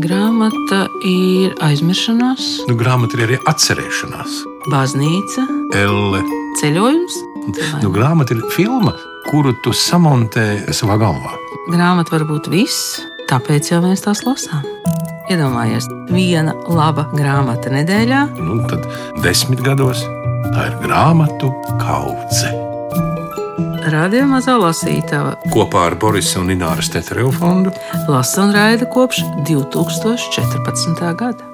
Grāmata ir aizmiršanās, Grāmata ir arī atcerēšanās. baznīca, Elle. ceļojums. Grāmata ir filma, kuru tu samontē savā galvā. Grāmata var būt viss, tāpēc jau mēs tās lasām. Iedomājies, viena laba grāmata nedēļā. Tad 10 gados tā ir grāmatu kaudze. Radio Mazā lasītava Kopā ar Borisa un Ināras Tetereva fondu lasa un raida kopš 2014. gada.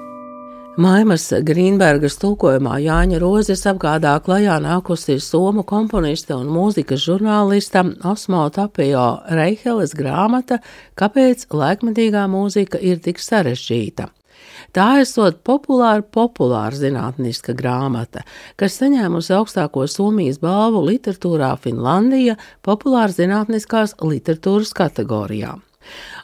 Maimas Grīnbergas tulkojumā Jāņa Rozes apgādā klajā nākusi somu komponiste un mūzikas žurnālista Osmo Tapio Reiheles grāmata Kāpēc laikmetīgā mūzika ir tik sarežģīta. Tā esot populāra zinātniska grāmata, kas saņēmusi augstāko Somijas balvu literatūrā Finlandija populāra zinātniskās literatūras kategorijā.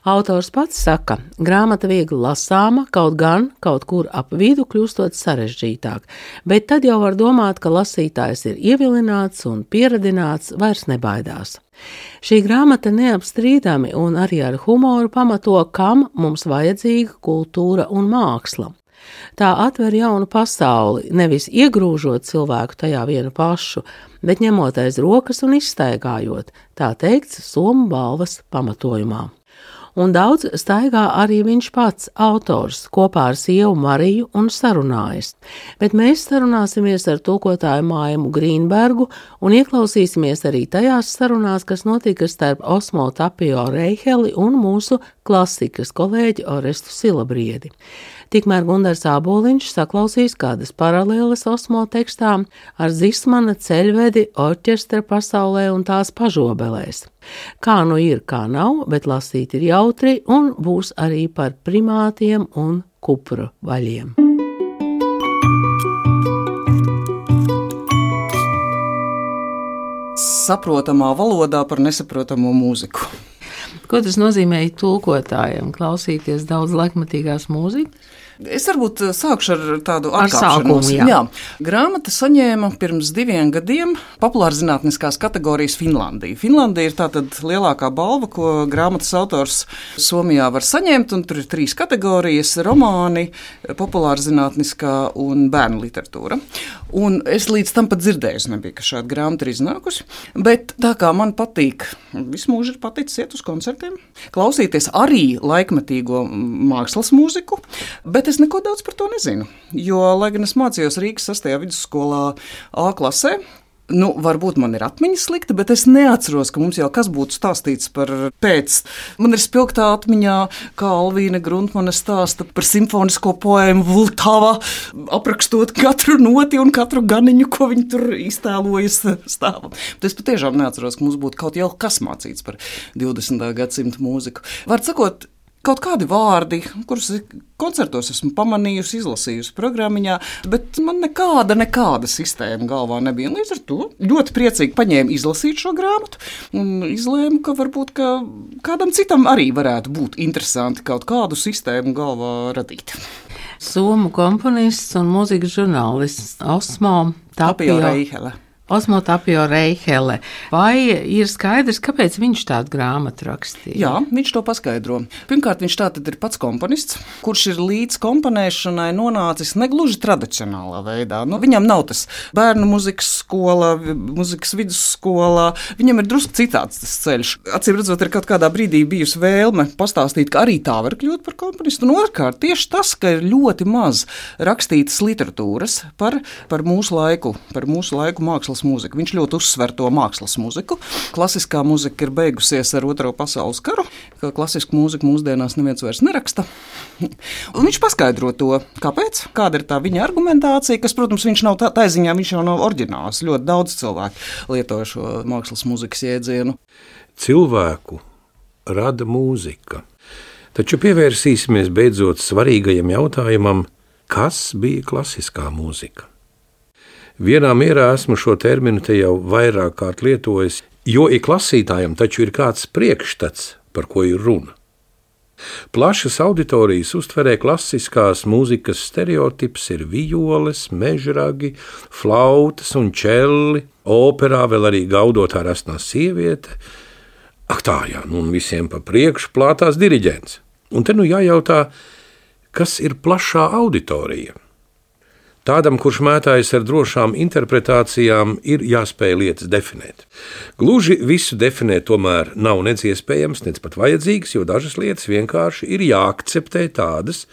Autors pats saka, grāmata viegli lasāma, kaut gan kaut kur ap vidu kļūstot sarežģītāk, bet tad jau var domāt, ka lasītājs ir ievilināts un pieradināts, vairs nebaidās. Šī grāmata neapstrīdami un arī ar humoru pamato, kam mums vajadzīga kultūra un māksla. Tā atver jaunu pasauli, nevis iegrūžot cilvēku tajā vienu pašu, bet ņemot aiz rokas un izstaigājot, tā teikts Somu balvas pamatojumā. Un daudz staigā arī viņš pats, autors, kopā ar sievu Mariju un sarunājas. Bet mēs sarunāsimies ar tulkotāju Maimu Grīnbergu un ieklausīsimies arī tajās sarunās, kas notika starp Osmo Tapio Reiheli un mūsu klasikas kolēģi Orestu Silabriedi. Tikmēr Gundars Āboliņš saklausīs kādas paralēles Osmo tekstām ar Zismana ceļvedi orķestra pasaulē un tās pažobelēs. Kā nu ir, kā nav, bet lasīt ir jautri un būs arī par primātiem un kupru vaļiem. Saprotamā valodā par nesaprotamo mūziku. Ko tas nozīmē tulkotājiem? Klausīties daudz laikmetīgās mūzikas? Es varbūt sākšu ar tādu atkāpšanos. Jā. Grāmata saņēma pirms 2 gadiem populārzinātniskās kategorijas Finlandija. Finlandija ir tātad lielākā balva, ko grāmatas autors Somijā var saņemt, un tur ir 3 kategorijas – romāni, populārzinātniskā un bērnu literatūra. Un es līdz tam pat dzirdēju, nebija, ka šāda grāmata ir iznākusi, bet tā kā man patīk, visu mūžu ir paticis iet uz koncertiem, klausīties arī laikmetīgo mākslas mūziku, bet es neko daudz par to nezinu, jo, lai gan es mācījos Rīgas 6. vidusskolā A klasē, varbūt man ir atmiņa slikta, bet es neatceros, ka mums jau kas būtu stāstīts par pēc. Man ir spilgtā atmiņā, kā Alvīna Gruntmane stāsta par simfonisko poēmu Vultava, aprakstot katru noti un katru ganiņu, ko viņi tur iztēlojas stāvam. Bet es patiešām neatceros, ka mums būtu kaut jau kas mācīts par 20. gadsimta mūziku. Vārds sakot, kaut kādi vārdi, kurus koncertos esmu pamanījusi, izlasījusi programmiņā, bet man nekāda sistēma galvā nebija. Līdz ar to ļoti priecīgi paņēmu izlasīt šo grāmatu un izlēmu, ka varbūt ka kādam citam arī varētu būt interesanti kaut kādu sistēmu galvā radīt. Somu komponists un mūzikas žurnālists Osmo Tapio Reihele. Osmo Tapio Reihele. Vai ir skaidrs, kāpēc viņš tādu grāmatu rakstīja? Jā, viņš to paskaidro. Pirmkārt, viņš tātad ir pats komponists, kurš ir līdz komponēšanai nonācis negluži tradicionālā veidā. Viņam nav tas bērnu muzikas skola, muzikas vidusskola, viņam ir drusku citāds tas ceļš. Acīm redzot, ir kaut kādā brīdī bijusi vēlme pastāstīt, ka arī tā var kļūt par komponistu. Un otrkārt, tieši tas, ka ir ļoti maz rakstītas literatūras par mūsu laiku mākslas mūziku. Viņš ļoti uzsver to mākslas mūziku. Klasiskā mūzika ir beigusies ar 2. pasaules karu, ka klasisku mūziku mūsdienās neviens vairs neraksta. Un viņš paskaidro to, kāpēc, kāda ir tā viņa argumentācija, kas, protams, viņš nav tā ziņā, viņš jau nav oriģināls. Ļoti daudz cilvēku lieto šo mākslas mūzikas jēdzienu. Cilvēku rada mūzika. Taču pievērsīsimies beidzot svarīgajam jautājumam, kas bija klasiskā mūzika. Vienā mierā esmu šo terminu te jau vairāk kārt lietojis, jo ik lasītājam taču ir kāds priekšstats, par ko ir runa. Plašas auditorijas uztverē klasiskās mūzikas stereotips ir violes, mežragi, flautas un čelli, operā vēl arī gaudotā rasnā sieviete. Un visiem pa priekšu plātās diriģents. Un te jājautā, Kas ir plašā auditorija? Tādam, kurš mētājas ar drošām interpretācijām, ir jāspēj lietas definēt. Gluži visu definēt tomēr nav nec iespējams, nec pat vajadzīgs, jo dažas lietas vienkārši ir jāakceptē tādas,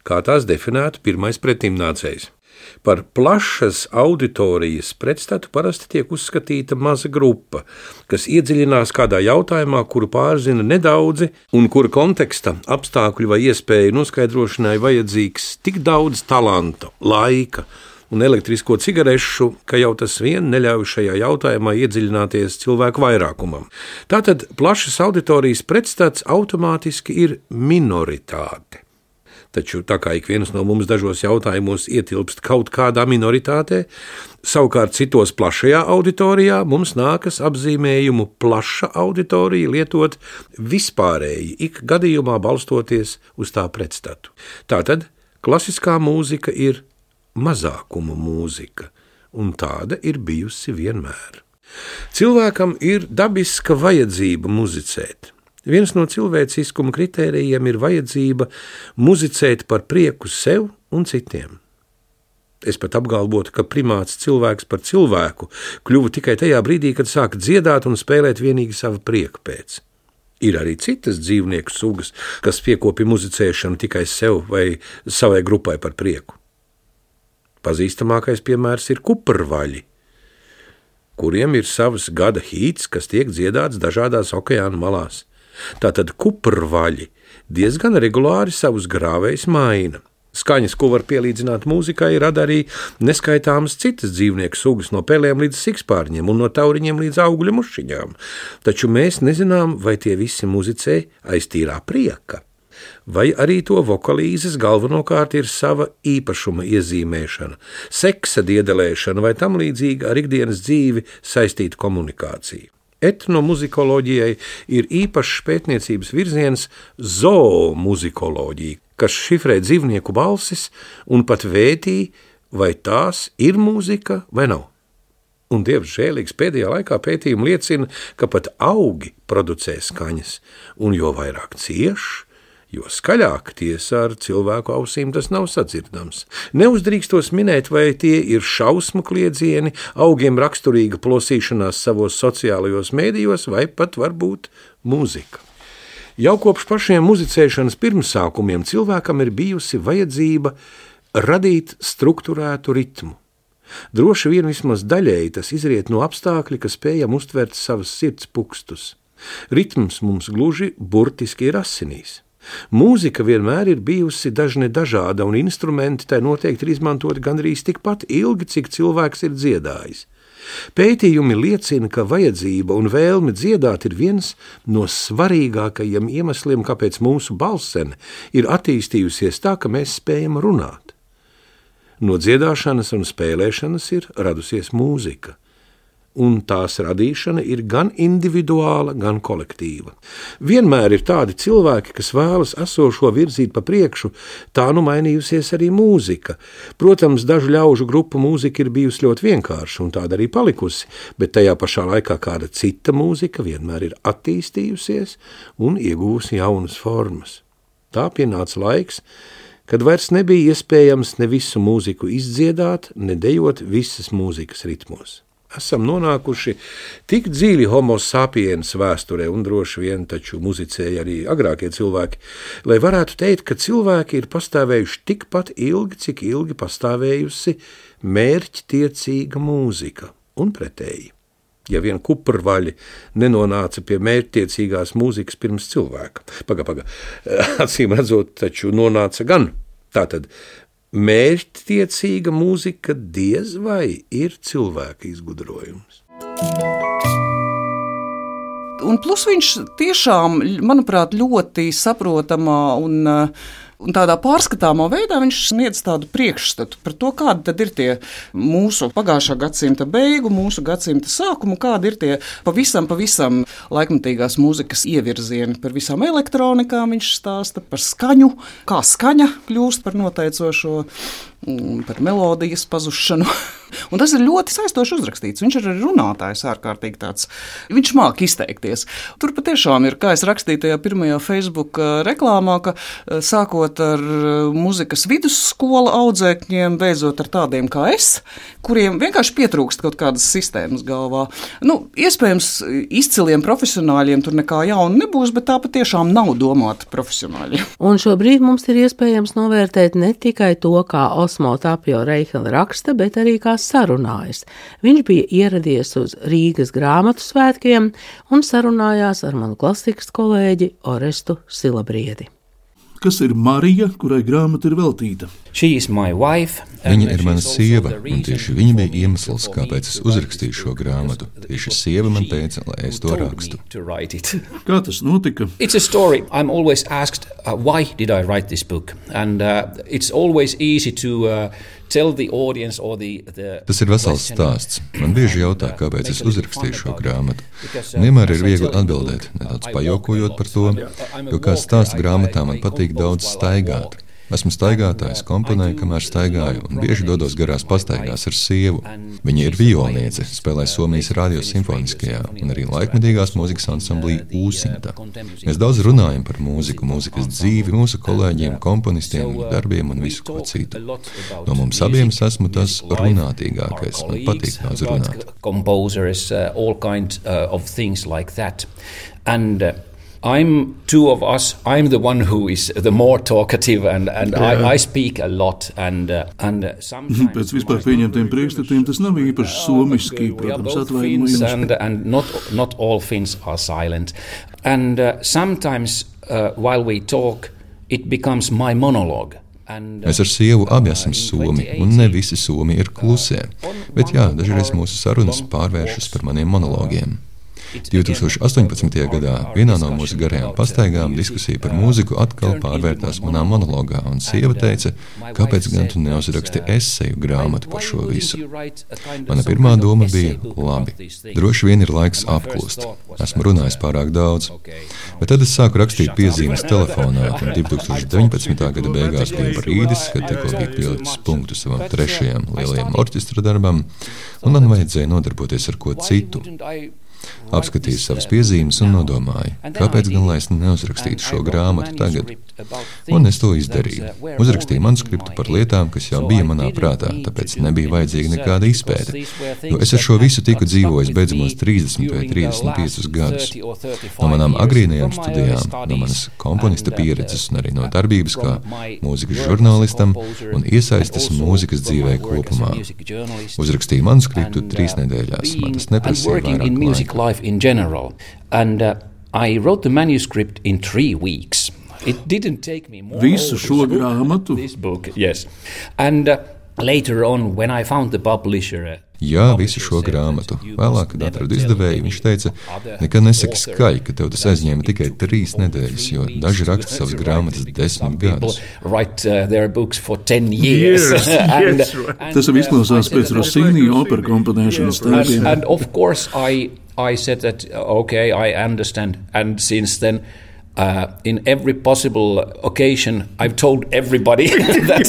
kā tās definētu pirmais pretimnācējs. Par plašas auditorijas pretstatu parasti tiek uzskatīta maza grupa, kas iedziļinās kādā jautājumā, kuru pārzina nedaudzi un kura konteksta, apstākļu vai iespēju noskaidrošanai vajadzīgs tik daudz talanta, laika un elektrisko cigarešu, ka jau tas vien neļauj šajā jautājumā iedziļināties cilvēku vairākumam. Tātad plašas auditorijas pretstats automātiski ir minoritāte. Taču tā kā ik viens no mums dažos jautājumos ietilpst kaut kādā minoritātē, savukārt citos plašajā auditorijā mums nākas apzīmējumu plaša auditorija lietot vispārēji, ik gadījumā balstoties uz tā pretstatu. Tātad klasiskā mūzika ir mazākuma mūzika, un tāda ir bijusi vienmēr. Cilvēkam ir dabiska vajadzība muzicēt. Viens no cilvēciskuma kritērijiem ir vajadzība muzicēt par prieku sev un citiem. Es pat apgalvotu, ka primāts cilvēks par cilvēku kļuva tikai tajā brīdī, kad sāk dziedāt un spēlēt vienīgi sava prieka pēc. Ir arī citas dzīvnieku sugas, kas piekopja muzicēšanu tikai sev vai savai grupai par prieku. Pazīstamākais piemērs ir kuprvaļi, kuriem ir savs gada hīts, kas tiek dziedāts dažādās okeāna malās. Tātad kuprvaļi diezgan regulāri savus grāvējus maina. Skaņas, ko var pielīdzināt mūzikai, rada arī neskaitāmas citas dzīvnieku sugas, no pelēm līdz sikspārņiem un no tauriņiem līdz augļu mušiņām. Taču mēs nezinām, vai tie visi muzicē aiz tīrā prieka, vai arī to vokalīzes galvenokārt ir sava īpašuma iezīmēšana, seksa diedelēšana vai tam līdzīga ar ikdienas dzīvi saistīta komunikācija. Etnomuzikoloģijai ir īpašs pētniecības virziens zoomuzikoloģija, kas šifrē dzīvnieku balsis un pat vētī, vai tās ir mūzika vai nav. Un dievs žēlīgs pēdējā laikā pētījumi liecina, ka pat augi producē skaņas, un jo vairāk cieš, jo skaļāk tiesa ar cilvēku ausīm tas nav sadzirdams. Neuzdrīkstos minēt, vai tie ir šausmu kliedzieni, augiem raksturīga plosīšanās savos sociālajos mēdījos, vai pat varbūt mūzika. Jau kopš pašiem muzicēšanas pirmsākumiem cilvēkam ir bijusi vajadzība radīt strukturētu ritmu. Droši vien vismaz daļēji tas izriet no apstākļa, ka spējam uztvert savas sirds pukstus. Ritms mums gluži burtiski ir asinīs. Mūzika vienmēr ir bijusi dažne dažāda, un instrumenti tai noteikti ir izmantoti gandrīz tikpat ilgi, cik cilvēks ir dziedājis. Pētījumi liecina, ka vajadzība un vēlme dziedāt ir viens no svarīgākajiem iemesliem, kāpēc mūsu balsene ir attīstījusies tā, ka mēs spējam runāt. No dziedāšanas un spēlēšanas ir radusies mūzika, un tās radīšana ir gan individuāla, gan kolektīva. Vienmēr ir tādi cilvēki, kas vēlas esošo virzīt pa priekšu, tā nu mainījusies arī mūzika. Protams, dažu ļaužu grupu mūzika ir bijusi ļoti vienkārša, un tāda arī palikusi, bet tajā pašā laikā kāda cita mūzika vienmēr ir attīstījusies un ieguvusi jaunas formas. Tā pienāca laiks, kad vairs nebija iespējams ne visu mūziku izdziedāt, ne dejot visas mūzikas ritmos. Esam nonākuši tik dziļi homo sapiens vēsturē, un droši vien taču muzicēja arī agrākie cilvēki, lai varētu teikt, ka cilvēki ir pastāvējuši tikpat ilgi, cik ilgi pastāvējusi mērķtiecīga mūzika, un pretēji. Ja vien kuprvaļi nenonāca pie mērķtiecīgās mūzikas pirms cilvēka. Acīm redzot, taču nonāca gan. Tātad mērķtiecīga mūzika diez vai ir cilvēka izgudrojums. Un plus viņš tiešām, manuprāt, ļoti saprotamā un tādā pārskatāmā veidā viņš sniedz tādu priekšstatu par to, kādi tad ir tie mūsu pagājušā gadsimta beigu, mūsu gadsimta sākumu, kādi ir tie pavisam laikmatīgās mūzikas ievirzieni. Par visām elektronikām viņš stāsta, par skaņu, kā skaņa kļūst par noteicošo par melodijas pazušanu. Un tas ir ļoti saistoši uzrakstīts. Viņš ir arī runātājs ārkārtīgi tāds. Viņš māk izteikties. Tur patiešām ir, kā es rakstīju tajā pirmajā Facebook reklāmā, ka sākot ar muzikas vidusskola audzēkņiem, beidzot ar tādiem kā es, kuriem vienkārši pietrūkst kaut kādas sistēmas galvā. Iespējams, izciliem profesionāļiem tur nekā jauna nebūs, bet tā patiešām nav domāta profesionāļiem. Un šobrīd mums ir iespējams novērtēt ne tikai to, kā Osmo Tapio Reihela raksta, bet arī kā sarunājas. Viņš bija ieradies uz Rīgas grāmatu svētkiem un sarunājās ar manu klasikas kolēģi Orestu Silabriedi. Kas ir Marija, kurai grāmata ir veltīta? Viņa ir mana sieva, un tieši viņa bija iemesls, kāpēc es uzrakstīju šo grāmatu. Tieši sieva man teica, lai es to rakstu. Kā tas notika? I'm always asked, why did I write this book? And it's always easy to tell the audience or the Tas ir vesels stāsts. Man bieži jautā, kāpēc es uzrakstīju šo grāmatu. Vienmēr ir viegli atbildēt, nedaudz pajokojot par to, jo kā stāsta grāmatā man patīk daudz staigāt. Esmu staigātājs, komponēju, kamēr staigāju, un bieži dodos garās pastaigās ar sievu. Viņa ir violniece, spēlē Somijas radio simfoniskajā un arī laikmetīgās mūzikas ansamblī Ūsimta. Mēs daudz runājam par mūziku, mūzikas dzīvi, mūsu kolēģiem, komponistiem, darbiem un visu ko citu. No mums abiem es esmu tas runātīgākais, man patīk daudz runāt. Composers, all kind of things like that. And I'm two of us. I'm the one who is the more talkative, and I speak a lot. And sometimes pēc vispār pieņemtiem priekšstatiem tas nav īpaši somiski, protams, atvainojums. And not all Finns are silent. And sometimes while we talk, it becomes my monologue. Mēs ar sievu abi esam somi, un ne visi somi ir klusē. Bet jā, dažreiz mūsu sarunas pārvēršas par maniem monologiem. 2018. gadā vienā no mūsu garajām pastaigām diskusija par mūziku atkal pārvērtās manā monologā, un sieva teica, kāpēc gan tu neuzraksti eseju grāmatu par šo visu. Mana pirmā doma bija, labi, droši vien ir laiks apklust. Esmu runājis pārāk daudz. Bet tad es sāku rakstīt piezīmes telefonā, un 2019. gada beigās bija brīdis, kad tikko bija pielicis punktu savam 3. lielajam orķestra darbam, un man vajadzēja nodarboties ar ko citu. Apskatīju savas piezīmes un nodomāju, kāpēc gan lai es neuzrakstītu šo grāmatu tagad. Un es to izdarīju. Uzrakstīju manuskriptu par lietām, kas jau bija manā prātā, tāpēc nebija vajadzīga nekāda izpēte. Jo es ar šo visu tiku dzīvojis beidzamos 30 vai 35 gadus. No manām agrīnajām studijām, no manas komponista pieredzes un arī no darbības kā mūzikas žurnālistam un iesaistes mūzikas dzīvē kopumā. Uzrakstīju manuskriptu 3 nedēļās. Man tas neprasīja vairāk laika. Life in general, and I wrote the manuscript in 3 weeks. It didn't take me more. Visu šo grāmatu? This book, yes. And later on, when I found the publisher. Jā, visu šo grāmatu. Vēlāk, kad atradu izdevēju, viņš teica, nekad nesaki skaļi, ka tev tas aizņēma tikai 3 nedēļas, jo daži raksta savas grāmatas 10 gadus. Tas jau izklausās pēc Rossini opera komponēšanas tēliem. And of course I said that, okay, I understand. And since then, in every possible occasion, I've told everybody that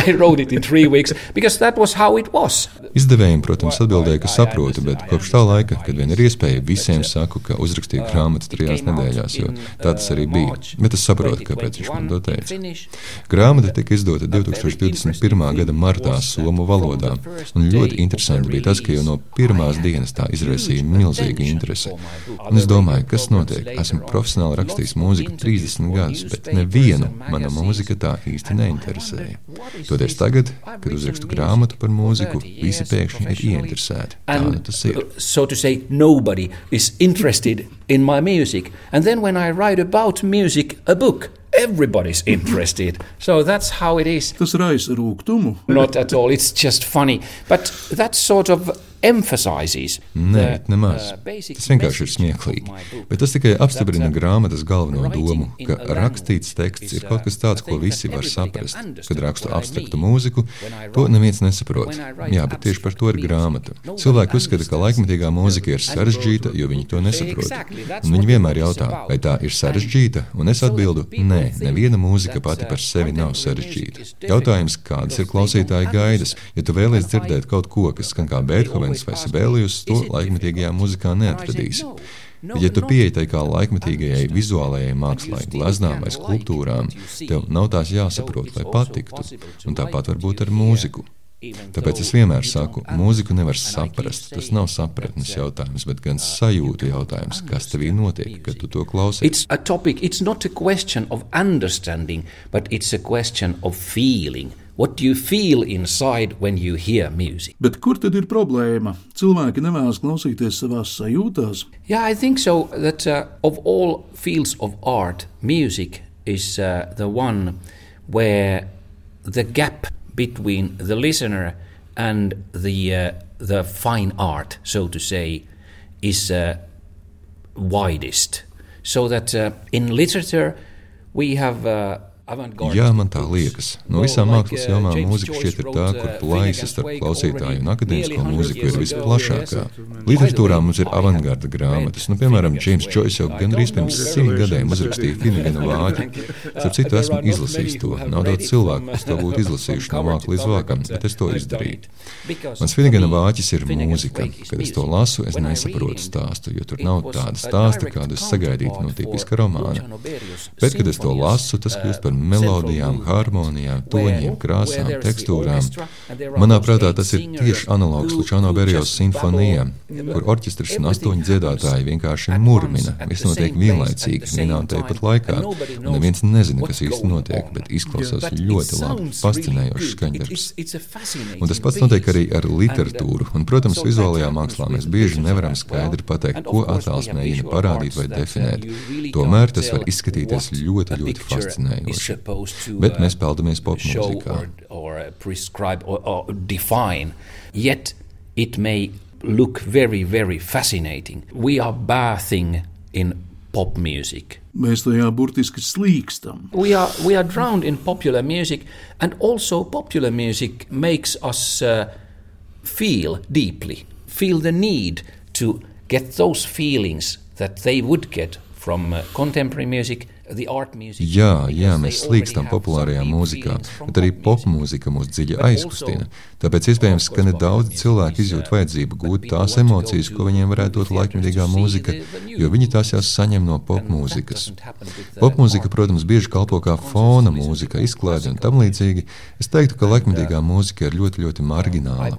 I wrote it in 3 weeks, because that was how it was. Izdevējiem, protams, atbildēja, ka saprotu, bet kopš tā laika, kad vien ir iespēja, visiem saku, ka uzrakstīju grāmatu 3 nedēļās, jo tā tas arī bija. Bet es saprotu, kāpēc viņš man to teica. Grāmata tika izdota 2021. gada martā somu valodā, un ļoti interesanti bija tas, ka jau no pirmās dienas tā izraisīja milzīgu interesi. Un es domāju, kas notiek? Esmu profesionāli rakstījis mūziku 30 gadus, bet nevienu mana mūzika tā īsti neinteresēja. Toties tagad, kad uzrakstu grāmatu par mūziku, visi pēkšņi ir ieinteresēti. Tā nu tas ir. So to say, nobody is interested in my music. And then when I write about music, a book, everybody's interested. So that's how it is. Tas raisa rūgtumu. Not at all, it's just funny. But that sort of emphasizes. Nē, nemaz. Tas vienkārši ir smieklīgi. Bet tas tikai apstiprina grāmatas galveno domu, ka rakstīts teksts ir kaut kas tāds, ko visi var saprast. Kad rakstu abstraktu mūziku, to neviens nesaprot. Jā, bet tieši par to ir grāmata. Cilvēki uzskata, ka laikmetīgā mūzika ir sarežģīta, jo viņi to nesaprot. Un viņi vienmēr jautā, vai tā ir sarežģīta, un es atbildu, nē. Nē, neviena mūzika pati par sevi nav sarežģīta. Jautājums, kādas ir klausītāja gaidas? Ja tu vēlies dzirdēt kaut ko, kas skan kā Beethovens vai Sibelius, to laikmetīgajā mūzikā neatradīsi. Bet, ja tu pieeji tai kā laikmetīgajai vizuālajai mākslai, gleznām vai skulptūrām, tev nav tās jāsaprot, lai patiktu, un tāpat varbūt ar mūziku. Tāpēc es vienmēr saku, mūziku nevar saprast, tas nav sapratnes jautājums, bet gan sajūtu jautājums, kas tevī notiek, kad tu to klausies. It's not a question of understanding, but it's a question of feeling. What do you feel inside when you hear music? Bet kur tad ir problēma? Cilvēki nevēlas klausīties savās sajūtās? Yeah, I think so that of all fields of art, music is the one where the gap between the listener and the fine art, so to say, is widest. So that in literature we have Jā, man tā liekas. No visām mākslas jomām mūzika šķiet ir tā, kur plaisa starp klausītāju un akadēmisko mūziku ir visplašākā. Literatūrā mums ir avangarda grāmatas. Piemēram, James Joyce jau gandrīz pirms 100 gadiem uzrakstīja Finigana vāķi. Starp citu, esmu izlasījis to. Nav daudz cilvēku, kas to būtu izlasījuši no vāka līdz vākam, bet es to izdarīju. Mans Finigana vāķis ir mūzika. Kad es to lasu, es nesaprotu stāstu, jo tur nav tāda stāsta, kādu es sagaidītu no tipiska romāna. Bet, kad es to lasu, tas kļūst par melodijām, harmonijām, toņiem, krāsām, tekstūrām. Manā prātā tas ir tieši analogs Luciano Berijos simfonijām, kur orķestris un 8 dziedātāji vienkārši murmina. Viss notiek vienlaicīgi, vienā un tāpat laikā, un neviens nezina, kas īsti notiek, bet izklausās ļoti labi, fascinējošs skaņdarbs. Un tas pats notiek arī ar literatūru, un, protams, vizuālajā mākslā mēs bieži nevaram skaidri pateikt, ko attēls mēģina parādīt vai definēt. Tomēr tas var izskatīties ļoti, ļoti fascinējoši. Bet mēs peldamies popmūzikā. Yet it may look very, very fascinating. We are bathing in pop music. Mēs tajā burtiski slīkstam. We are drowned in popular music, and also popular music makes us feel deeply, feel the need to get those feelings that they would get from contemporary music. Jā, mēs slīkstam populārajā mūzikā, bet arī popmūzika mūs dziļi aizkustina. Tāpēc iespējams, ka nedaudz cilvēki izjūt vajadzību gūt tās emocijas, ko viņiem varētu dot laikmetīgā mūzika, jo viņi tās jau saņem no popmūzikas. Popmūzika, protams, bieži kalpo kā fona mūzika, izklaide un tam līdzīgi. Es teiktu, ka laikmetīgā mūzika ir ļoti, ļoti margināla.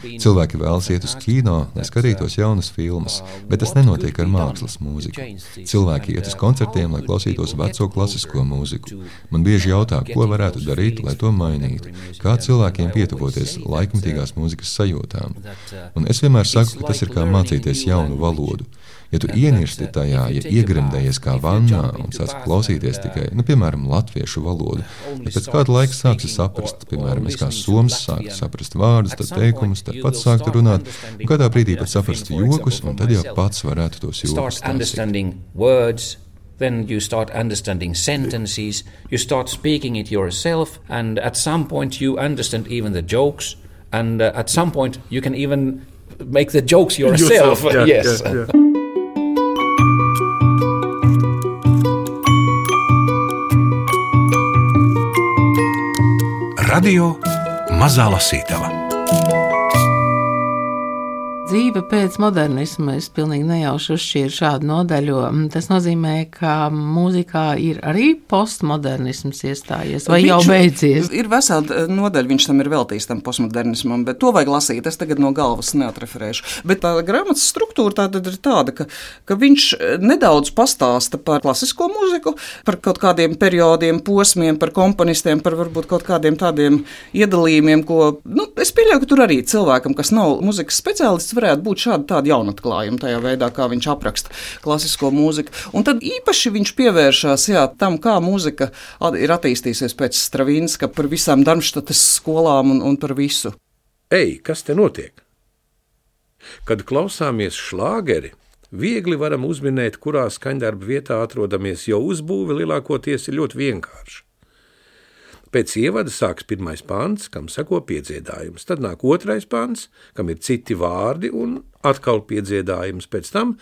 Cilvēki vēlas iet uz kino, lai skatītos jaunas filmas, bet tas nenotiek ar mākslas mūziku. Cilvēki iet uz koncertiem, lai klausītos veco klasisko mūziku. Man bieži jautā, ko varētu darīt, lai to mainītu, kā cilvēkiem pietuvoties laikmetīgās mūzikas sajūtām. Un es vienmēr saku, ka tas ir kā mācīties jaunu valodu. Ja tu ienirsti tajā, ja iegremdējies kā vannā un sāc klausīties tikai, piemēram, latviešu valodu, tad pēc kāda laika sāksi saprast, piemēram, es kā soms sāku saprast vārdus, tad teikumus, tad pats sāktu runāt, un kādā brīdī pat saprast jokus, un tad jau pats varētu tos jokus taisīt. Then you start understanding sentences, you start speaking it yourself, and at some point you understand even the jokes, and at some point you can even make the jokes yourself. Yes. Yeah. Radio Mazā Lasītava. Dzīve pēc modernisma, es pilnīgi nejauši uzšķīru šādu nodaļu. Tas nozīmē, ka mūzikā ir arī postmodernisms iestājies, vai jau beidzies? Ir vesela nodaļa, viņš tam ir veltījis tam postmodernismam, bet to vajag lasīt, es tagad no galvas neatreferēšu. Bet tā grāmatas struktūra tātad ir tāda, ka viņš nedaudz pastāsta par klasisko mūziku, par kaut kādiem periodiem, posmiem, par komponistiem, par varbūt kaut kādiem tādiem iedalījumiem, ko, es pieļauju, ka tur arī cilvēkam, kas nav mūzikas speciālists, varētu būt tāda jaunatklājuma tajā veidā, kā viņš apraksta klasisko mūziku. Un tad īpaši viņš pievēršās tam, kā mūzika ir attīstījusies pēc Stravinska, par visām Darmštates skolām un par visu. Ei, kas te notiek? Kad klausāmies šlāgeri, viegli varam uzminēt, kurā skaņdarba vietā atrodamies, jo uzbūve lielākoties ir ļoti vienkārša. Pēc ievada sāks pirmais pants, kam seko piedziedājums. Tad nāk otrais pants, kam ir citi vārdi un atkal piedziedājums. Pēc tam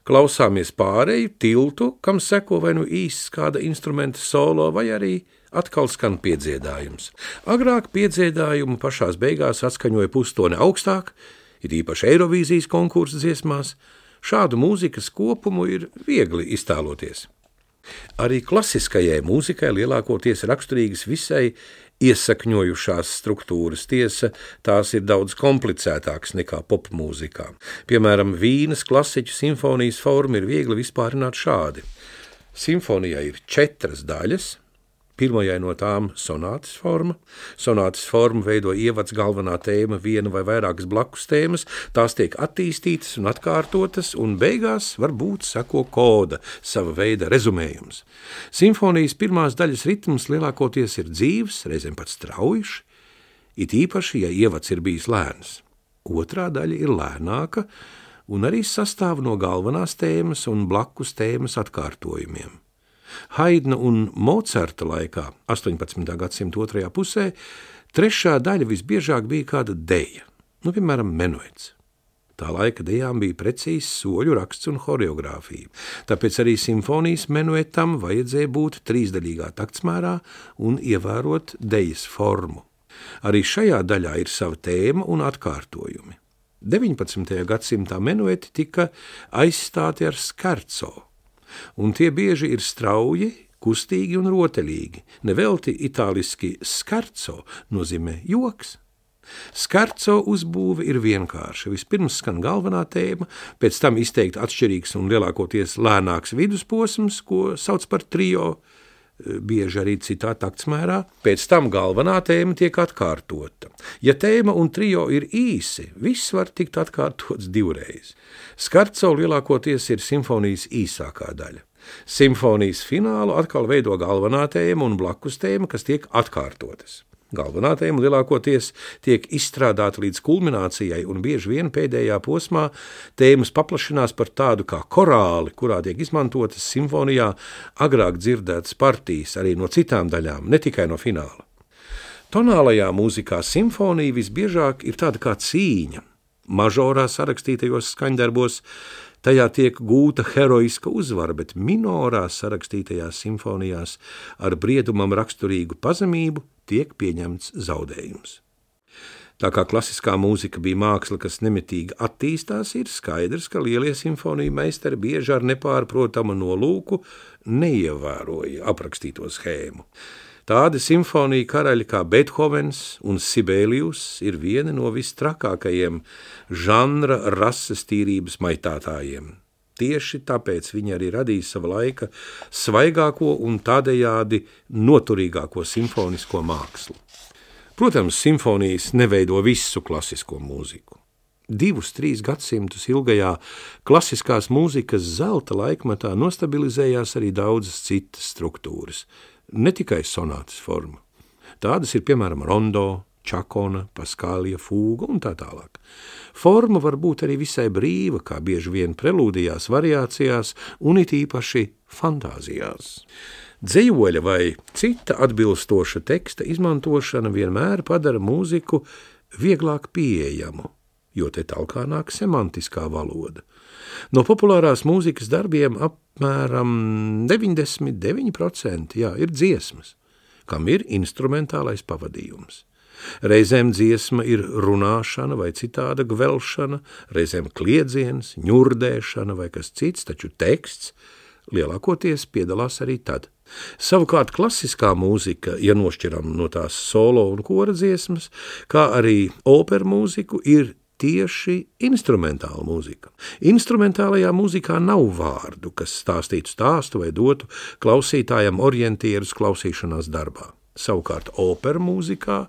klausāmies pārēju tiltu, kam seko vai nu īsts kāda instrumenta solo, vai arī atkal skan piedziedājums. Agrāk piedziedājumu pašās beigās atskaņoja pustoni augstāk, ir īpaši Eirovīzijas konkursa dziesmās. Šādu mūzikas kopumu ir viegli iztēloties. Arī klasiskajai mūzikai lielākoties raksturīgas visai iesakņojušās struktūras. Tiesa, tās ir daudz komplicētākas nekā popmūzikā. Piemēram, Vīnes klasiķu simfonijas forma ir viegli vispārināt šādi. Simfonijai ir 4 daļas. Pirmajai no tām sonātas forma. Sonātas formu veido ievads, galvenā tēma, viena vai vairākas blakus tēmas. Tās tiek attīstītas un atkārtotas, un beigās varbūt seko koda, sava veida rezumējums. Simfonijas pirmās daļas ritms lielākoties ir dzīves, reizēm pat straujš, it īpaši, ja ievads ir bijis lēns. Otrā daļa ir lēnāka un arī sastāv no galvenās tēmas un blakus tēmas atkārtojumiem. Haidna un Mocarta laikā, 18. gadsimta otrajā pusē, trešā daļa visbiežāk bija kāda deja, piemēram, menuets. Tā laika dejām bija precīzs soļu raksts un horeogrāfija, tāpēc arī simfonijas menuetam vajadzēja būt 3-daļīgā taktsmērā un ievērot dejas formu. Arī šajā daļā ir sava tēma un atkārtojumi. 19. gadsimtā menueti tika aizstāti ar scherzo, un tie bieži ir strauji, kustīgi un rotaļīgi. Nevelti itāliski scherzo nozīmē joks. Scherzo uzbūve ir vienkārša. Vispirms skan galvenā tēma, pēc tam izteikti atšķirīgs un lielākoties lēnāks vidusposms, ko sauc par trio, bieži arī citā taktsmērā. Pēc tam galvenā tēma tiek atkārtota. Ja tēma un trio ir īsi, viss var tikt atkārtots 2 reizes. Scherzo lielākoties ir simfonijas īsākā daļa. Simfonijas finālu atkal veido galvenā tēma un blakus tēma, kas tiek atkārtotas. Galvenā tēma lielākoties tiek izstrādāta līdz kulminācijai, un bieži vien pēdējā posmā tēmas paplašinās par tādu kā korāli, kurā tiek izmantotas simfonijā agrāk dzirdētas partijas arī no citām daļām, ne tikai no fināla. Tonālajā mūzikā simfonija visbiežāk ir tāda kā cīņa. Mažorā sarakstītajos skaņdarbos tajā tiek gūta heroiska uzvara, bet minorā sarakstītajās simfonijās ar briedumam raksturīgu pazemību tiek pieņemts zaudējums. Tā kā klasiskā mūzika bija māksla, kas nemitīgi attīstās, ir skaidrs, ka lielie simfoniju meistari bieži ar nepārprotamu nolūku neievēroja aprakstīto schēmu. Tādi simfoniju karaļi kā Beethovens un Sibelius ir vieni no vistrakākajiem žanra rases tīrības maitātājiem. Tieši tāpēc viņi arī radīja sava laika svaigāko un tādējādi noturīgāko simfonisko mākslu. Protams, simfonijas neveido visu klasisko mūziku. 2-3 gadsimtus ilgajā klasiskās mūzikas zelta laikmatā nostabilizējās arī daudzas citas struktūras, ne tikai sonātas forma. Tādas ir, piemēram, rondo, čakona, paskālija, fūga un tā tālāk. Forma var būt arī visai brīva, kā bieži vien prelūdijās, variācijās un it īpaši fantāzijās. Dzejoļa vai cita atbilstoša teksta izmantošana vienmēr padara mūziku vieglāk pieejamu, jo te talkā nāk semantiskā valoda. No populārās mūzikas darbiem apmēram 99% ir dziesmas, kam ir instrumentālais pavadījums. Reizēm dziesma ir runāšana vai citāda gvelšana, reizēm kliedziens, ņurdēšana vai kas cits, taču teksts lielākoties piedalās arī tad. Savukārt klasiskā mūzika, ja nošķiram no tās solo un kora dziesmas, kā arī operu mūziku, ir tieši instrumentāla mūzika. Instrumentālajā mūzikā nav vārdu, kas stāstītu stāstu vai dotu klausītājam orientierus klausīšanās darbā. Savukārt operu mūzikā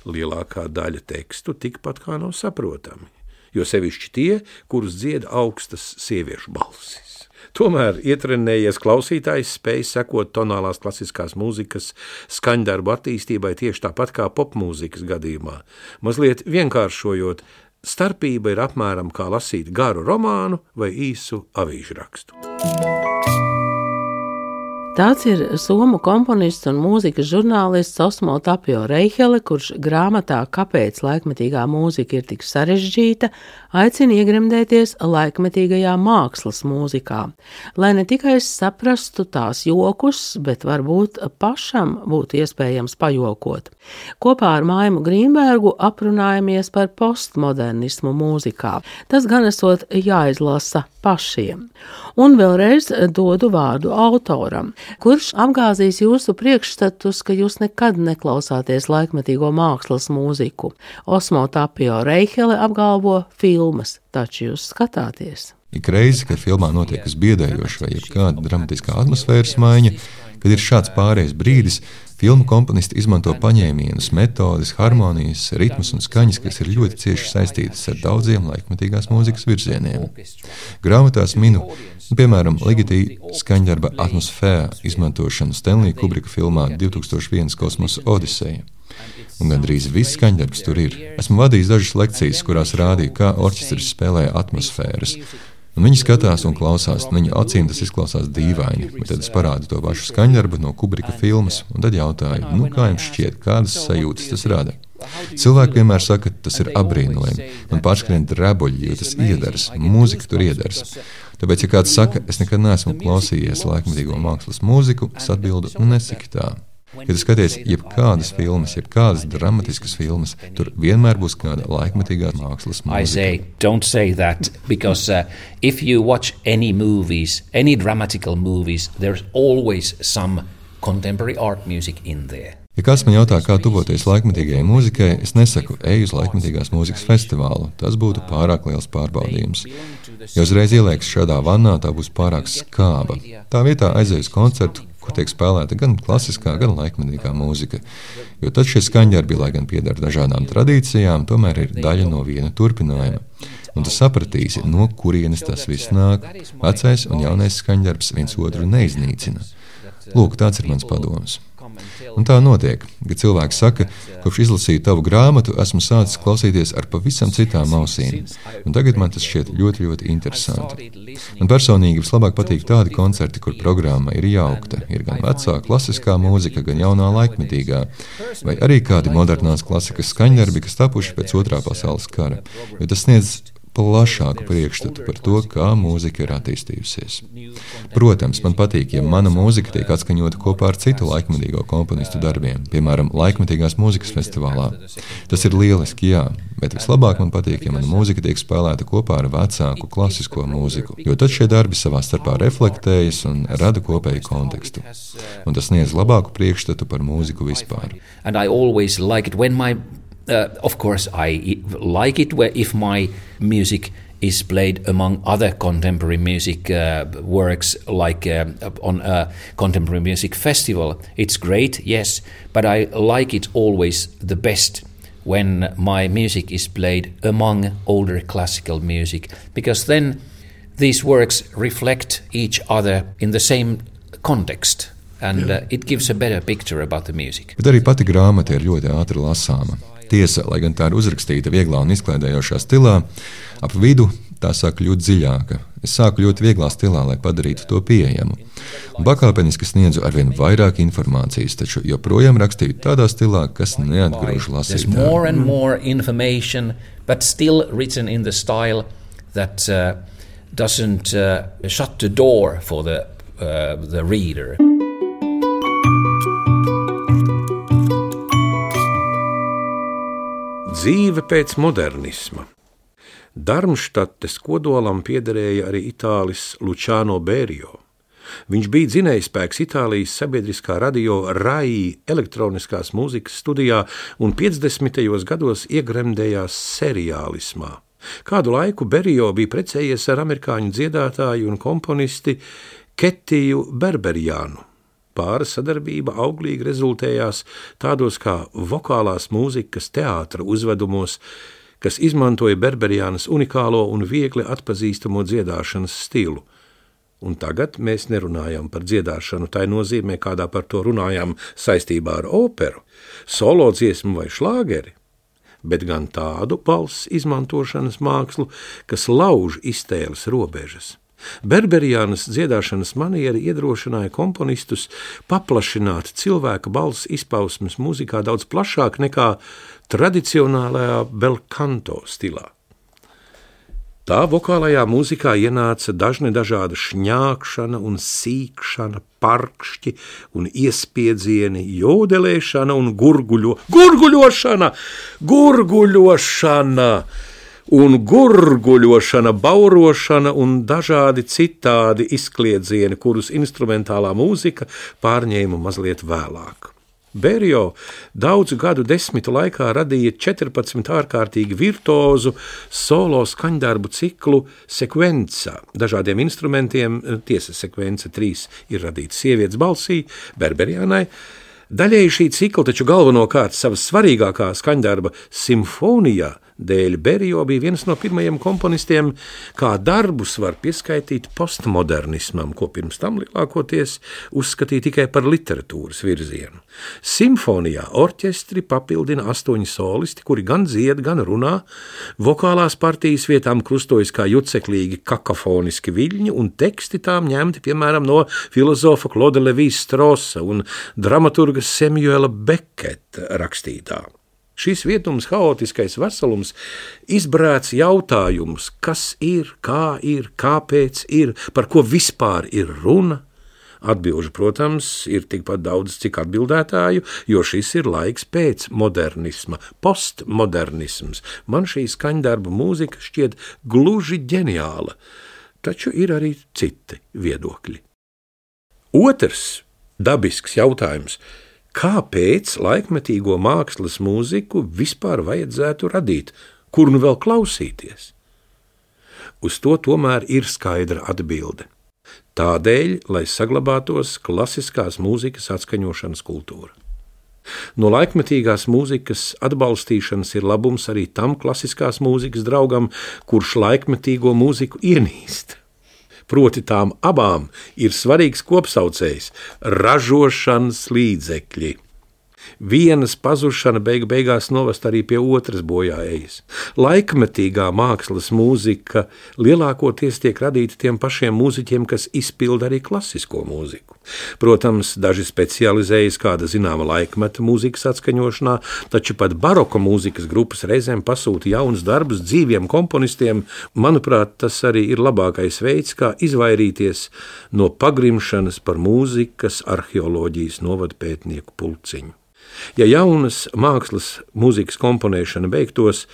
lielākā daļa tekstu tikpat kā nav saprotami, jo sevišķi tie, kurus dzied augstas sieviešu balsis. Tomēr ietrenējies klausītājs spēj sekot tonālās klasiskās mūzikas skaņdarbu attīstībai tieši tāpat kā popmūzikas gadījumā. Mazliet vienkāršojot, starpība ir apmēram kā lasīt garu romānu vai īsu avīžu rakstu. Tāds ir somu komponists un mūzikas žurnālists Osmo Tapio Reihele, kurš grāmatā Kāpēc laikmetīgā mūzika ir tik sarežģīta, aicina iegremdēties laikmetīgajā mākslas mūzikā, lai ne tikai saprastu tās jokus, bet varbūt pašam būtu iespējams pajokot. Kopā ar Maimu Grīnbergu aprunājamies par postmodernismu mūzikā. Tas gan esot jāizlasa pašiem. Un vēlreiz dodu vārdu autoram, kurš apgāzīs jūsu priekšstatus, ka jūs nekad neklausāties laikmetīgo mākslas mūziku. Osmo Tapio Reihele apgalvo filmas, taču jūs skatāties. Ik reizi, kad filmā notiek kas biedējošs vai jebkāda dramatiskā atmosfēras maiņa, kad ir šāds pārējais brīdis, filmu komponisti izmanto paņēmienus, metodes, harmonijas, ritmus un skaņas, kas ir ļoti cieši saistītas ar daudziem laikmetīgās mūzikas virzieniem. Grāmatās minu, piemēram, Ligeti skaņdarba atmosfēra izmantošanu Stanley Kubrika filmā 2001 Kosmosa Odiseja. Un gandrīz viss skaņdarbs tur ir. Esmu vadījis dažas lekcijas, kurās rādīju, kā orķestris spēlē atmosfēras. Un viņi skatās un klausās, un viņu acīm tas izklausās dīvaini, bet tad es parādu to pašu skaņdarbu no Kubrika filmas, un tad jautāju, kā jums šķiet, kādas sajūtas tas rada? Cilvēki vienmēr saka, ka tas ir apbrīnojami, man pārskrien drebuļi, jo tas iedaras, mūzika tur iedaras. Tāpēc, ja kāds saka, es nekad neesmu klausījies laikmetīgo mākslas mūziku, es atbildu, nesaki tā. Kad skaties jebkādas filmas, jebkādas dramatiskas filmas, tur vienmēr būs kāda laikmetīgā mākslas mūzika. I say, don't say that, because if you watch any movies, any dramatical movies, there's always some contemporary art music in there. Ja kāds man jautā, kā tuvoties laikmetīgajai mūzikai, es nesaku, ej uz laikmetīgās mūzikas festivālu. Tas būtu pārāk liels pārbaudījums. Ja uzreiz ielieks šādā vannā, tā būs pārāk skāba. Tā vietā aizies koncertu, kur tiek spēlēta gan klasiskā, gan laikmetīgā mūzika. Jo tad šie skaņdarbi, lai gan piedara dažādām tradīcijām, tomēr ir daļa no viena turpinājuma. Un tu sapratīsi, no kurienes tas viss nāk. Vecais un jaunais skaņdarbs viens otru neiznīcina. Lūk, tāds ir mans padoms. Un tā notiek, kad cilvēks saka, kopš izlasīju tavu grāmatu, esmu sācis klausīties ar pavisam citām ausīm. Un tagad man tas šķiet ļoti, ļoti interesanti. Man personīgi vislabāk patīk tādi koncerti, kur programma ir jaukta. Ir gan vecā klasiskā mūzika, gan jaunā laikmetīgā, vai arī kādi modernās klasikas skaņdarbi, kas tapuši pēc Otrā pasaules kara. Jo tas sniedz plašāku priekšstatu par to, kā mūzika ir attīstījusies. Protams, man patīk, ja mana mūzika tiek atskaņota kopā ar citu laikmetīgo komponistu darbiem, piemēram, laikmetīgās mūzikas festivālā. Tas ir lieliski, jā, bet vislabāk man patīk, ja mana mūzika tiek spēlēta kopā ar vecāku klasisko mūziku, jo tad šie darbi savā starpā reflektējas un rada kopēju kontekstu. Un tas sniedz labāku priekšstatu par mūziku vispār. And I always like it when of course, I like it if my music is played among other contemporary music works, like on a contemporary music festival. It's great, yes, but I like it always the best when my music is played among older classical music, because then these works reflect each other in the same context. And it gives a better picture about the music. Bet arī pati grāmata ir ļoti ātri lasāma. Tiesa, lai gan tā ir uzrakstīta vieglā un izklaidējošā stilā, ap vidu tā sāk kļūt dziļāka. Es sāku ļoti vieglā stilā, lai padarītu to pieejamu. Un pakāpeniski sniedzu arvien vairāk informācijas, taču joprojām rakstīju tādā stilā, kas neatgrūž lasītāju. There's more and more information, but still written in the style that doesn't shut the door for the reader. Dzīve pēc modernisma. Darmštates kodolam piederēja arī itālis Luciano Berio. Viņš bija dzinējspēks Itālijas sabiedriskā radio RAI elektroniskās mūzikas studijā un 50. gados iegremdējās seriālismā. Kādu laiku Berio bija precējies ar amerikāņu dziedātāju un komponisti Ketiju Berberjānu. Pāra sadarbība auglīgi rezultējās tādos kā vokālās mūzikas teātra uzvedumos, kas izmantoja Berberjānas unikālo un viegli atpazīstamo dziedāšanas stilu. Un tagad mēs nerunājam par dziedāšanu tai nozīmē, kādā par to runājam saistībā ar operu, solo dziesmu vai šlāgeri, bet gan tādu balss izmantošanas mākslu, kas lauž iztēles robežas. Berberiānas dziedāšanas maniera iedrošināja komponistus paplašināt cilvēka balss izpausmes mūzikā daudz plašāk nekā tradicionālajā belkanto stilā. Tā vokālajā mūzikā ienāca dažāda šņākšana un sīkšana, parkšķi un iespiedzieni, jodelēšana un gurguļošana, baurošana un dažādi citādi izkliedzieni, kurus instrumentālā mūzika pārņēma mazliet vēlāk. Berio daudzu gadu desmitu laikā radīja 14 ārkārtīgi virtuozu solo skaņdarbu ciklu sekvencā. Dažādiem instrumentiem, tiesa sekvence 3 ir radīta sievietes balsī, Berberiānai. Daļēji šī cikla, taču galvenokārt savas svarīgākā skaņdarba simfonijā dēļ Berio bija viens no pirmajiem komponistiem, kā darbus var pieskaitīt postmodernismam, ko pirms tam lielākoties uzskatīja tikai par literatūras virzienu. Simfonijā orķestri papildina 8 solisti, kuri gan dzied, gan runā, vokālās partijas vietām krustojas kā juceklīgi kakafoniski viļņi, un teksti tām ņemti, piemēram, no filozofa Claude Lévi-Straussa un dramaturga Samuela Becketa rakstītā. Šis vietums, haotiskais veselums, izbrēc jautājumus, kas ir, kāpēc ir, par ko vispār ir runa. Atbilžu, protams, ir tikpat daudz, cik atbildētāju, jo šis ir laiks pēc modernisma, postmodernisms. Man šī skaņdarba mūzika šķiet gluži ģeniāla, taču ir arī citi viedokļi. Otrs dabisks jautājums. Kāpēc laikmetīgo mākslas mūziku vispār vajadzētu radīt, kur nu vēl klausīties? Uz to tomēr ir skaidra atbilde. Tādēļ, lai saglabātos klasiskās mūzikas atskaņošanas kultūra. No laikmetīgās mūzikas atbalstīšanas ir labums arī tam klasiskās mūzikas draugam, kurš laikmetīgo mūziku ienīst. Proti tām abām ir svarīgs kopsaucējs – ražošanas līdzekļi. Vienas pazušana beigās novest arī pie otras bojāejas. Laikmetīgā mākslas mūzika lielākoties tiek radīta tiem pašiem mūziķiem, kas izpilda arī klasisko mūziku. Protams, daži specializējas kāda zināma laikmeta mūzikas atskaņošanā, taču pat baroka mūzikas grupas reizēm pasūta jaunus darbus dzīviem komponistiem. Manuprāt, tas arī ir labākais veids, kā izvairīties no pagrimšanas par mūzikas arheoloģijas novadpētnieku pulciņu. Ja jaunas mākslas mūzikas komponēšana beigtos,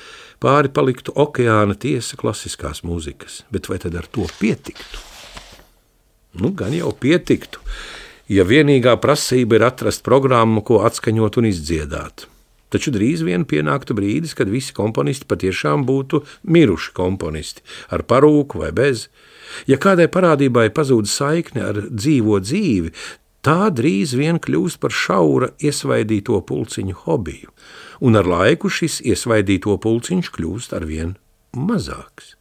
pāri paliktu okeāna tiesa klasiskās mūzikas, bet vai tad ar to pietiktu? Gan jau pietiktu, ja vienīgā prasība ir atrast programmu, ko atskaņot un izdziedāt. Taču drīz vien pienāktu brīdis, kad visi komponisti patiešām būtu miruši komponisti, ar parūku vai bez. Ja kādai parādībai pazūd saikne ar dzīvo dzīvi, tā drīz vien kļūst par šaura iesvaidīto pulciņu hobiju, un ar laiku šis iesvaidīto pulciņš kļūst arvien mazāks.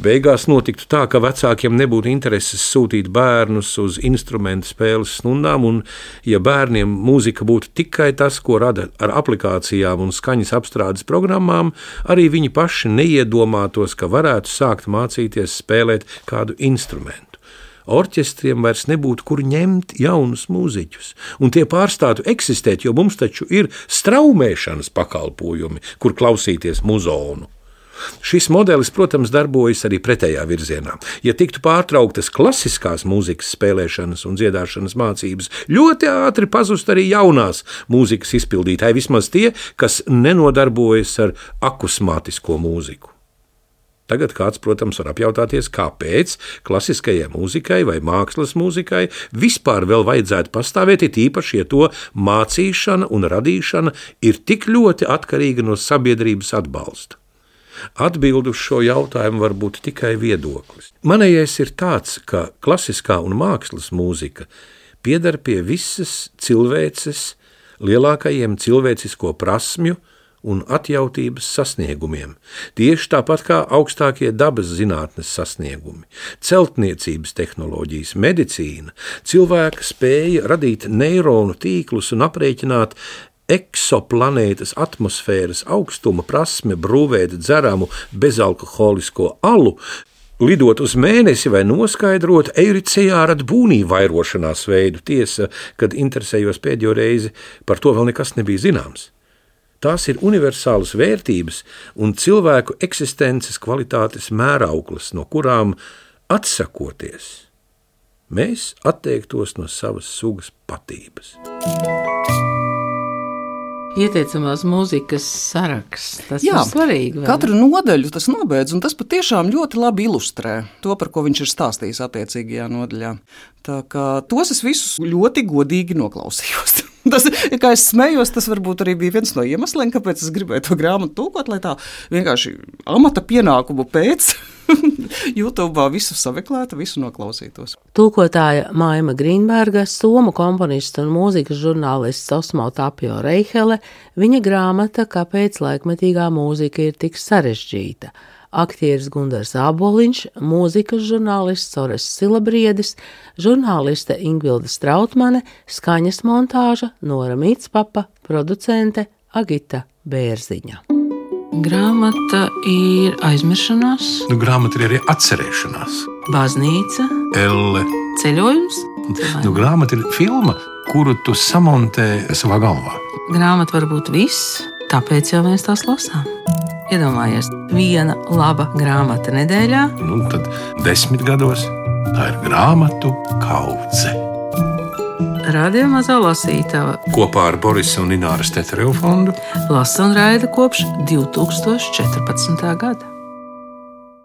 Beigās notiktu tā, ka vecākiem nebūtu intereses sūtīt bērnus uz instrumentu spēles stundām, un ja bērniem mūzika būtu tikai tas, ko rada ar aplikācijām un skaņas apstrādes programmām, arī viņi paši neiedomātos, ka varētu sākt mācīties spēlēt kādu instrumentu. Orķestriem vairs nebūtu, kur ņemt jaunus mūziķus, un tie pārstātu eksistēt, jo mums taču ir straumēšanas pakalpojumi, kur klausīties muzonu. Šis modelis, protams, darbojas arī pretējā virzienā. Ja tiktu pārtrauktas klasiskās mūzikas spēlēšanas un dziedāšanas mācības, ļoti ātri pazust arī jaunās mūzikas izpildītāji, vismaz tie, kas nenodarbojas ar akusmātisko mūziku. Tagad kāds, protams, var apjautāties, kāpēc klasiskajai mūzikai vai mākslas mūzikai vispār vēl vajadzētu pastāvēt, it īpaši, ja to mācīšana un radīšana ir tik ļoti atkarīga no sabiedrības atbalsta. Atbildi uz šo jautājumu var būt tikai viedoklis. Manējais ir tāds, ka klasiskā un mākslas mūzika pieder pie visas cilvēces lielākajiem cilvēcisko prasmju un atjautības sasniegumiem, tieši tāpat kā augstākie dabas zinātnes sasniegumi, celtniecības tehnoloģijas, medicīna, cilvēka spēja radīt neironu tīklus un aprēķināt eksoplanētas atmosfēras augstuma prasme brūvēt dzeramu bezalkoholisko alu, lidot uz mēnesi vai noskaidrot eiricijāra būnī vairošanās veidu. Tiesa, kad interesējos pēdējo reizi, par to vēl nekas nebija zināms. Tās ir universālas vērtības un cilvēku eksistences kvalitātes mērauklas, no kurām atsakoties, mēs atteiktos no savas sugas patības. Ieteicamās mūzikas saraksts, tas ir svarīgi. Katru nodaļu tas nobeidz, un tas patiešām ļoti labi ilustrē to, par ko viņš ir stāstījis attiecīgajā nodaļā. Tā kā tos es visus ļoti godīgi noklausījos. Tas, kā es smējos, tas varbūt arī bija viens no iemesliem, kāpēc es gribēju to grāmatu tulkot, lai tā vienkārši amata pienākumu pēc YouTube visu sameklētu, visu noklausītos. Tulkotāja Maima Grīnberga, somu komponista un mūzikas žurnālists Osmo Tapio Reihele, viņa grāmata Kāpēc laikmetīgā mūzika ir tik sarežģīta. Aktieris Gundars Āboliņš, mūzikas žurnālists Ores Silabriedis, žurnāliste Ingvilda Strautmane, skaņas montāža Nora Mītspapa, producente Agita Bērziņa. Grāmata ir aizmiršanās. Grāmata ir arī atcerēšanās. Baznīca. Elle. Ceļojums. Grāmata ir filma, kuru tu samontē savā galvā. Grāmata var būt viss, tāpēc jau mēs tās lasām. Iedomājies, viena laba grāmata nedēļā. Tad 10 gados tā ir grāmatu kaudze. Radio Mazā lasītava kopā ar Borisa un Ināras Teterevu fondu lasa un raida kopš 2014. gada.